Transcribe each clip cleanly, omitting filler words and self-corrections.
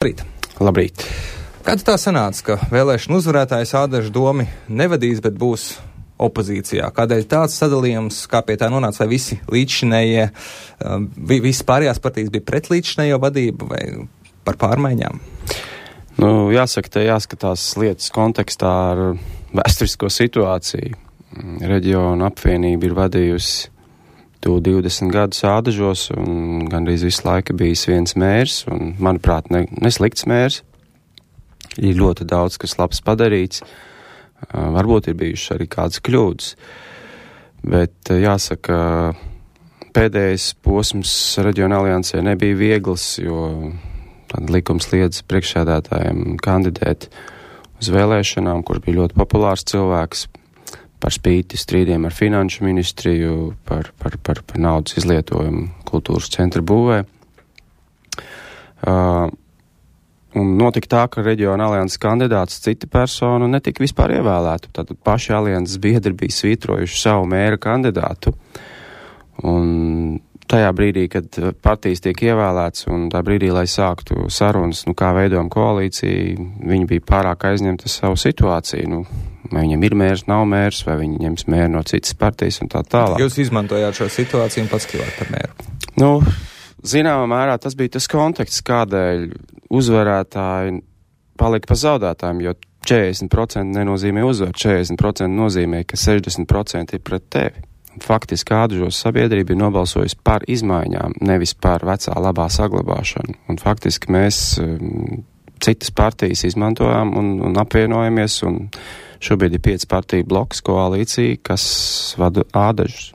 Labrīt. Kāds tā sanāca, ka vēlēšanu uzvarētājs Ādažu domi nevadīs, bet būs opozīcijā? Kādēļ tāds sadalījums, kā pie tā nonāca, vai visi līdzšinējie, visas pārējās partijas bija pret līdzšinējo vadību vai par pārmaiņām? Jāsaka, te jāskatās lietas kontekstā ar vēsturisko situāciju. Reģiona apvienība ir vadījusi 20 gadus Ādažos, un gandrīz visu laiku bijis viens mērs, un, manuprāt, neslikts mērs. Ir ļoti daudz, kas labs padarīts. Varbūt ir bijušas arī kādas kļūdas. Bet jāsaka, pēdējais posms Reģiona aliansē nebija viegls, jo likums liedz priekšsēdētājiem kandidēt uz vēlēšanām, kurš bija ļoti populārs cilvēks, par spīti strīdiem ar finanšu ministriju, par naudas izlietojumu kultūras centra būvē. Un notika tā, ka Reģiona alianses kandidāts cita persona netika vispār ievēlēta. Tātad paši alianses biedri bija svītrojuši savu mēra kandidātu. Un tajā brīdī, kad partijas tiek ievēlēts un tā brīdī, lai sāktu sarunas, kā veidojam koalīciju, viņi bija pārāk aizņemti savu situāciju. Vai viņam ir mērs, nav mērs, vai viņi ņems mēru no citas partijas un tā tālāk. Jūs izmantojāt šo situāciju un pats kļuvāt par mēru? Zināmā mērā tas bija tas konteksts, kādēļ uzvarētāji palika pa zaudētājiem, jo 40% nenozīmē uzvaru, 40% nozīmē, ka 60% ir pret tevi. Faktiski Ādažos sabiedrība ir nobalsojusi par izmaiņām, nevis par vecā labā saglabāšanu. Un faktiski mēs citas partijas izmantojām un apvienojamies, un šobrīd ir 5 partiju bloks koalīcija, kas vada Ādažus.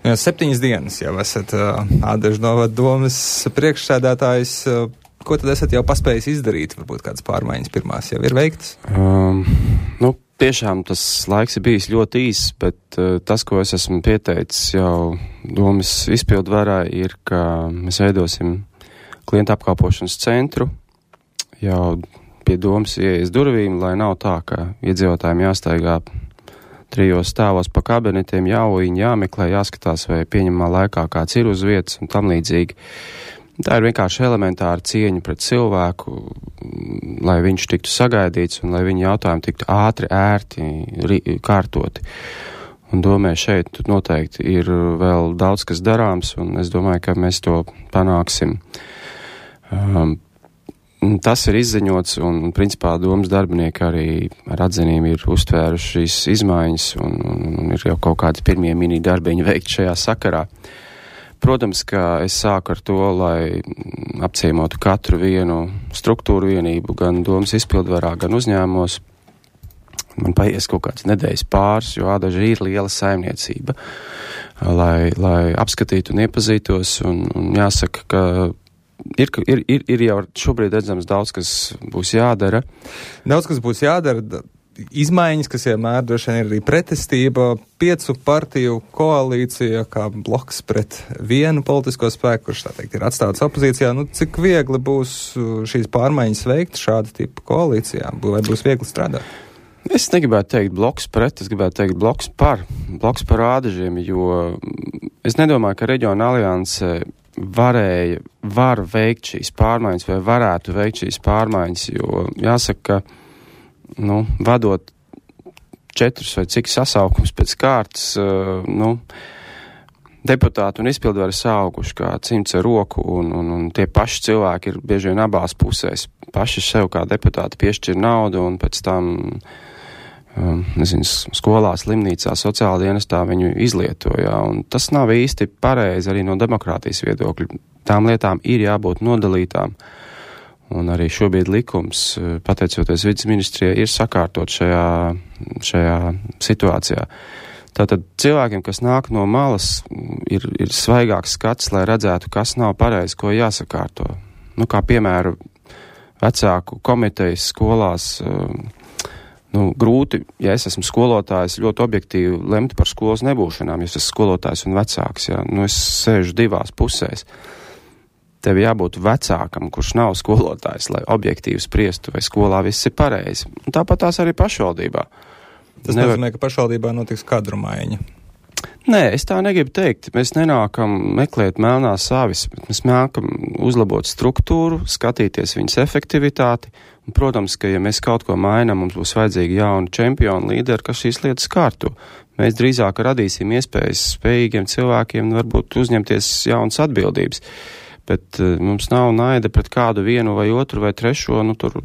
7 dienas jau esat Ādažu novada domes priekšsēdētājs. Ko tad esat jau paspējis izdarīt? Varbūt kādas pārmaiņas pirmās jau ir veiktas? Tiešām tas laiks ir bijis ļoti īss, bet tas, ko es esmu pieteicis jau domas izpildvarā, ir, ka mēs veidosim klientu apkalpošanas centru jau pie domas ieejas durvīm, lai nav tā, ka iedzīvotājiem jāstaigā 3 stāvos pa kabinetiem, jāuiņ, jāmeklē, jāskatās, vai pieņemamā laikā kāds ir uz vietas un tam līdzīgi. Tā ir vienkārši elementāra cieņa pret cilvēku, lai viņš tiktu sagaidīts un lai viņa jautājumi tiktu ātri, ērti, kārtoti. Un domāju, šeit noteikti ir vēl daudz, kas darāms, un es domāju, ka mēs to panāksim. Tas ir izziņots, un principā domas darbinieki arī ar atzinību ir uztvēruši šīs izmaiņas, un ir jau kaut kādi pirmie mini darbiņi veikti šajā sakarā. Protams, ka es sāku ar to, lai apciemotu katru vienu struktūru vienību, gan domas izpildvarā, gan uzņēmumos. Man paies kaut kāds nedēļas pāris, jo Ādaži ir liela saimniecība, lai apskatītu un iepazītos, un jāsaka, ka ir jau šobrīd redzams daudz, kas būs jādara. Daudz, kas būs jādara. Izmaiņas, kas vienmēr droši vien ir arī pretestība, 5 partiju koalīcija kā bloks pret vienu politisko spēku, kurš tā teikt ir atstāts opozīcijā. Cik viegli būs šīs pārmaiņas veikt šāda tipa koalīcijā? Vai būs viegli strādāt? Es negribētu teikt bloks pret, es gribētu teikt bloks par Ādažiem, jo es nedomāju, ka Reģiona alianse var veikt šīs pārmaiņas vai varētu veikt šīs pārmaiņas, jo jāsaka, ka vadot 4 vai cik sasaukums pēc kārtas, deputāti un izpildvari sauguši kā cimds ar roku, un tie paši cilvēki ir bieži vien abās pusēs. Paši sev kā deputāti piešķir naudu, un pēc tam, skolā, slimnīcā, sociālā dienestā viņu izlietojā, un tas nav īsti pareizi arī no demokrātijas viedokļa. Tām lietām ir jābūt nodalītām. Un arī šobrīd likums, pateicoties vides ministrijai, ir sakārtot šajā situācijā. Tātad cilvēkiem, kas nāk no malas, ir svaigāks skats, lai redzētu, kas nav pareizi, ko jāsakārto. Kā piemēram, vecāku komitejas skolās, grūti, ja es esmu skolotājs, ļoti objektīvi lemt par skolas nebūšanām, ja es esmu skolotājs un vecāks, es sēžu 2 pusēs. Tev jābūt vecākam, kurš nav skolotājs, lai objektīvi spriestu, vai skolā viss ir pareizi. Un tāpat tās arī pašvaldībā. Tas nozīmē, ka pašvaldībā notiks kadru maiņa. Nē, es tā negribu teikt. Mēs nenākam meklēt melnās avis, bet mēs nākam uzlabot struktūru, skatīties viņas efektivitāti. Un, protams, ka ja mēs kaut ko mainām, mums būs vajadzīgi jauni čempioni līderi, kas šīs lietas kārto. Mēs drīzāk radīsim iespējas spējīgiem cilvēkiem varbūt uzņemties jaunas atbildības. Bet mums nav naida pret kādu vienu vai otru vai trešo, tur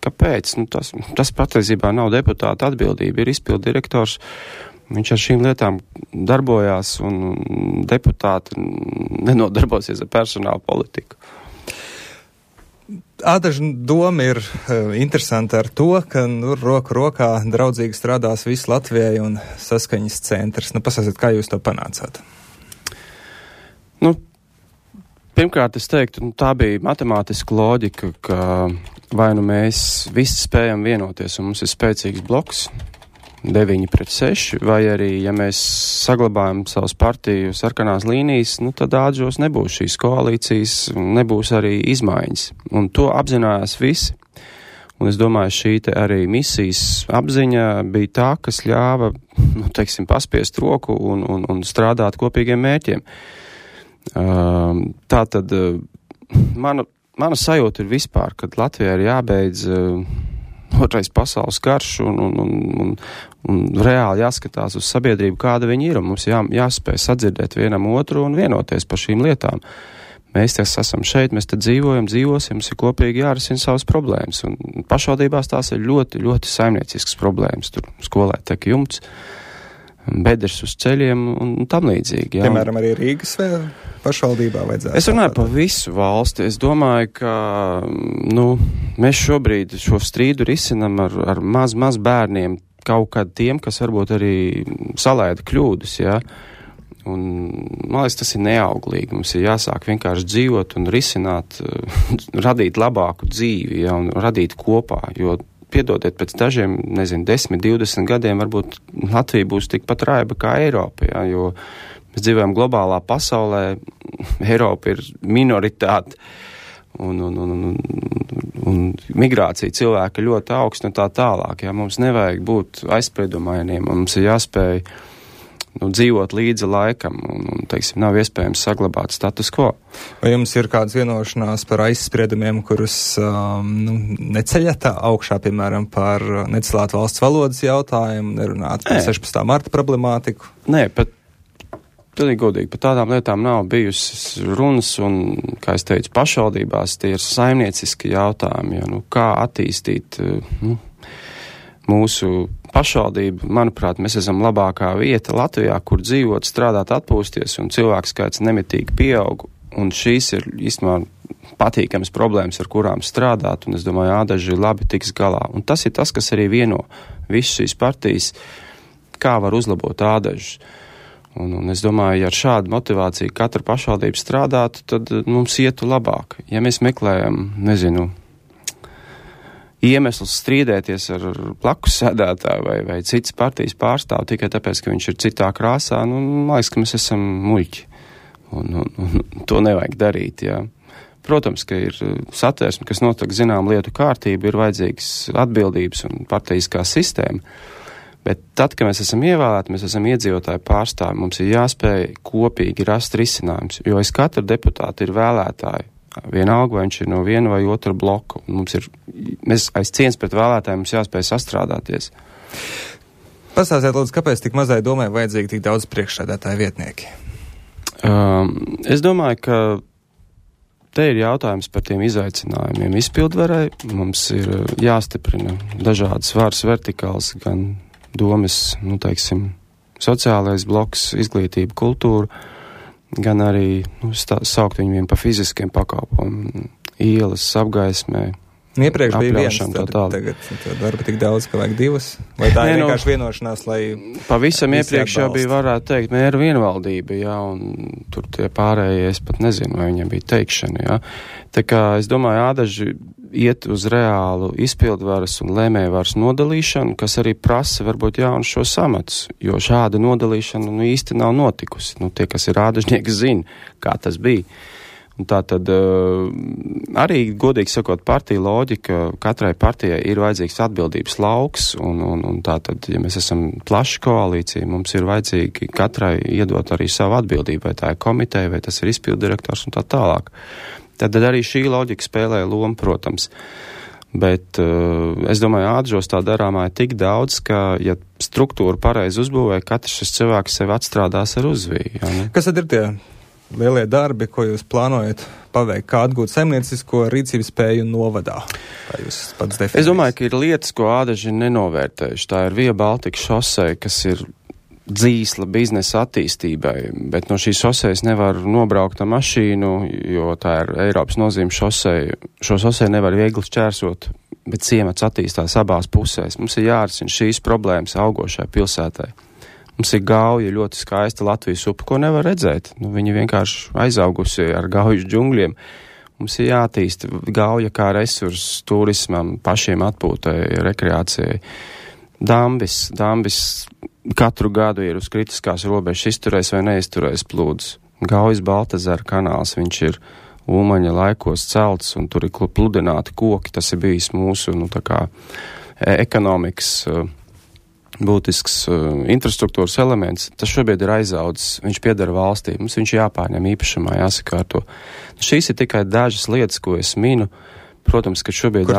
kāpēc? Tas patiesībā nav deputāta atbildība, ir izpildu direktors. Viņš ar šīm lietām darbojās un deputāti nenodarbosies ar personālu politiku. Ādaža doma ir interesanta ar to, ka roku rokā draudzīgi strādās viss Latvijai un saskaņas centrs. Pasāstiet, kā jūs to panācāt? Pirmkārt, es teiktu, tā bija matemātiska loģika, ka vai mēs visi spējam vienoties un mums ir spēcīgs bloks, 9-6, vai arī, ja mēs saglabājam savus partiju sarkanās līnijas, tad ādažos nebūs šīs koalīcijas, nebūs arī izmaiņas. Un to apzinājās visi. Un es domāju, šī te arī misijas apziņa bija tā, kas ļāva, paspiest roku un strādāt kopīgiem mērķiem. Tātad mana sajūta ir vispār, kad Latvijā ir jābeidz otrais pasaules karš un reāli jāskatās uz sabiedrību, kāda viņi ir, un mums jāspēj sadzirdēt vienam otru un vienoties par šīm lietām. Mēs esam šeit, mēs te dzīvosim, mums ir kopīgi jārisina savas problēmas, un pašvaldībās tās ir ļoti, ļoti saimnieciskas problēmas. Tur skolē tek jumts, bedres uz ceļiem un tam līdzīgi. Jā. Piemēram, arī Rīgas pašvaldībā vajadzētu. Es runāju par visu valsti. Es domāju, ka mēs šobrīd šo strīdu risinam ar maz bērniem, kaut kad tiem, kas varbūt arī salaida kļūdas, jā. Un, man liekas, tas ir neauglīgi. Mums ir jāsāk vienkārši dzīvot un risināt, radīt labāku dzīvi, jā, un radīt kopā, jo piedodiet, pēc dažiem, 10, 20 gadiem varbūt Latvija būs tikpat raiba kā Eiropa, jā, jo mēs dzīvojam globālā pasaulē, Eiropa ir minoritāte un migrācija cilvēka ļoti augsta un tā tālāk, jā, mums nevajag būt aizspriedumainiem, mums ir jāspēj dzīvot līdzi laikam un nav iespējams saglabāt status quo. Vai jums ir kādas vienošanās par aizspriedumiem, kurus neceļat augšā, piemēram, par necilāt valsts valodas jautājumu, nerunāt par 16. marta problemātiku? Nē, pilnīgi godīgi, par tādām lietām nav bijusi runas un, kā es teicu, pašvaldībās tie ir saimnieciski jautājumi, jo, kā attīstīt mūsu pašvaldību, manuprāt, mēs esam labākā vieta Latvijā, kur dzīvot, strādāt, atpūsties, un cilvēku skaits nemitīgi pieaug, un šīs ir īstenībā patīkamas problēmas, ar kurām strādāt, un es domāju, ādaži labi tiks galā. Un tas ir tas, kas arī vieno visas šīs partijas, kā var uzlabot ādažus. Un es domāju, ja ar šādu motivāciju katra pašvaldība strādātu, tad mums ietu labāk. Ja mēs meklējam, iemesls strīdēties ar blakus sēdētāju vai citas partijas pārstāvu tikai tāpēc, ka viņš ir citā krāsā, man liekas, ka mēs esam muļķi. Un to nevajag darīt, jā. Protams, ka ir satversme, kas notiek zinām lietu kārtību, ir vajadzīgs atbildības un partijiskā sistēma. Bet tad, kad mēs esam ievēlēti, mēs esam iedzīvotāju pārstāvi, mums ir jāspēj kopīgi rast risinājums, jo aiz katra deputāta ir vēlētāji. Vienalga, vai viņš ir no viena vai otra bloka. Mēs aiz cieņas pret vēlētājiem mums jāspēj sastrādāties. Pastāstiet, lūdzu, kāpēc tik mazai domai vajadzīgi tik daudz priekšsēdētāju vietnieki? Es domāju, ka te ir jautājums par tiem izaicinājumiem izpildvarai. Mums ir jāstiprina dažādas varas vertikāls, gan domas, sociālais bloks, izglītība, kultūra, gan arī saukt viņiem pa fiziskiem pakalpojumiem, ielas, apgaismē. Iepriekš bija viens, tagad darba tik daudz, ka vajag divas? Vai tā ir vienkārši vienošanās, lai... Pavisam iepriekš jau bija, varētu teikt, mēra vienvaldība, jā, un tur tie pārējie, es pat nezinu, vai viņiem bija teikšana, jā. Tā kā es domāju, ādaži iet uz reālu izpildvaras un lēmējvaras nodalīšanu, kas arī prasa varbūt jaunu šo amatus, jo šāda nodalīšana īsti nav notikusi. Tie, kas ir ādažnieki, zina, kā tas bija. Un tā tad arī, godīgi sakot, partija loģika, katrai partijai ir vajadzīgs atbildības lauks, un tā tad, ja mēs esam plaša koalīcija, mums ir vajadzīgi katrai iedot arī savu atbildību, vai tā ir komiteja, vai tas ir izpildirektors un tā tālāk. Tad arī šī loģika spēlē lomu, protams. Bet es domāju, Ādažos tā darāmā ir tik daudz, ka, ja struktūru pareizi uzbūvē, katrs šis cilvēks sev atstrādās ar uzviju. Ja, ne? Kas tad ir tie lielie darbi, ko jūs plānojat paveikt, kā atgūt saimniecisko rīcības spēju novadā? Kā jūs pats definējat? Es domāju, ka ir lietas, ko Ādaži ir nenovērtējuši. Tā ir Via Baltica šosei, kas ir dzīsla biznesa attīstībai, bet no šīs šosejas nevar nobraukt ar mašīnu, jo tā ir Eiropas nozīme šosei. Šo šosei nevar viegli šķērsot, bet ciemats attīstās abās pusēs. Mums ir jārisina šīs problēmas augošai pilsētai. Mums ir Gauja, ļoti skaista Latvijas upe, ko nevar redzēt. Viņa vienkārši aizaugusi ar Gaujas džungļiem. Mums ir jātīst Gauja kā resurss turismam, pašiem atpūtai, rekreācijai. Dambis katru gadu ir uz kritiskās robežas izturējis vai neizturējis plūdus. Gaujas Baltazara kanāls, viņš ir Ulmaņa laikos celts, un tur ir pludināti koki. Tas ir bijis mūsu, tā kā ekonomikas būtisks infrastruktūras elements. Tas šobrīd ir aizaudzis, viņš piedara valstī, mums viņš jāpārņem īpašumā, jāsakārto. Šīs ir tikai dažas lietas, ko es minu. Protams, ka šobrīd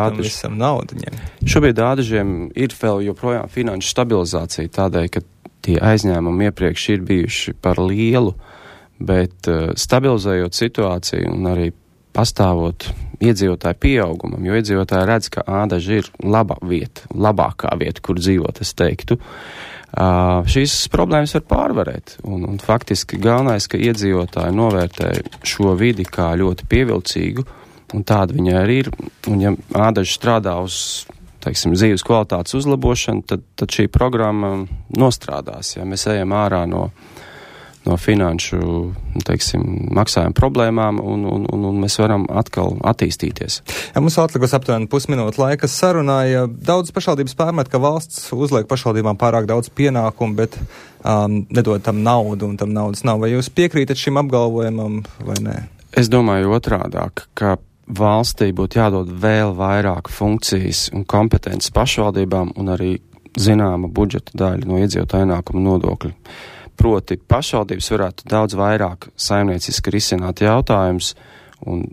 Ādažiem ir vēl joprojām finanšu stabilizācija tādēļ, ka tie aizņēmumi iepriekš ir bijuši par lielu, bet stabilizējot situāciju un arī pastāvot iedzīvotāju pieaugumam, jo iedzīvotāji redz, ka Ādaži ir labākā vieta, kur dzīvot, es teiktu. Šīs problēmas var pārvarēt, un faktiski galvenais, ka iedzīvotāji novērtē šo vidi kā ļoti pievilcīgu, un tāda viņa arī ir, un ja Ādaži strādā uz, dzīves kvalitātes uzlabošanu, tad šī programma nostrādās, ja mēs ejam ārā no finanšu, maksājuma problēmām, un mēs varam atkal attīstīties. Ja mums atlikus aptuveni pusminūte laika sarunāja, daudz pašvaldības pārmet, ka valsts uzliek pašvaldībām pārāk daudz pienākumu, bet nedod tam naudu, un tam naudas nav. Vai jūs piekrītat šim apgalvojumam, vai nē? Es domāju otrādāk, ka valstī būtu jādod vēl vairāk funkcijas un kompetences pašvaldībām un arī zināma budžeta daļa no iedzīvotāju ienākuma nodokļu. Proti pašvaldības varētu daudz vairāk saimnieciski risināt jautājumus un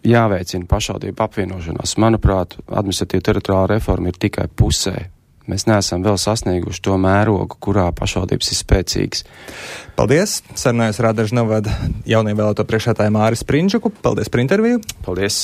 jāveicina pašvaldību apvienošanās. Manuprāt, administratīva teritoriāla reforma ir tikai pusē. Mēs neesam vēl sasnieguši to mērogu, kurā pašvaldības ir spēcīgas. Paldies! Sarunājos ar Ādažu novada jaunievēlēto priekšsēdētāju Māri Sprindžuku. Paldies par interviju! Paldies!